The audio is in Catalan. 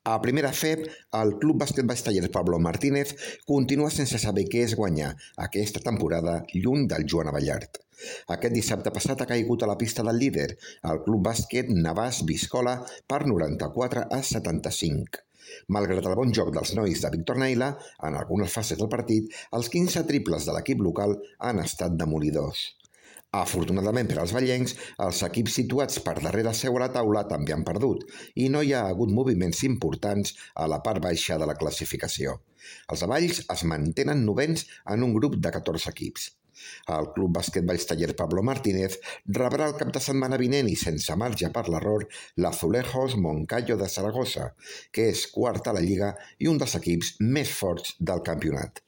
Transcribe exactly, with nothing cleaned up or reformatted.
A primera F E B, el Club Bàsquet Baix Tallers Pablo Martínez continua sense saber què és guanyar aquesta temporada lluny del Joan Abellart. Aquest dissabte passat ha caigut a la pista del líder, el Club Bàsquet Navàs Biscola, per noranta-quatre a setanta-cinc. Malgrat el bon joc dels nois de Víctor Naila, en algunes fases del partit, els quinze triples de l'equip local han estat demolidors. Afortunadament per als vallencs, els equips situats per darrere seu a la taula també han perdut i no hi ha hagut moviments importants a la part baixa de la classificació. Els avalls es mantenen novens en un grup de catorze equips. El Club Bàsquet Baix Tallers Pablo Martínez rebrà el cap de setmana vinent i sense marge per l'error l'Azulejos Moncayo de Saragossa, que és quart a la Lliga i un dels equips més forts del campionat.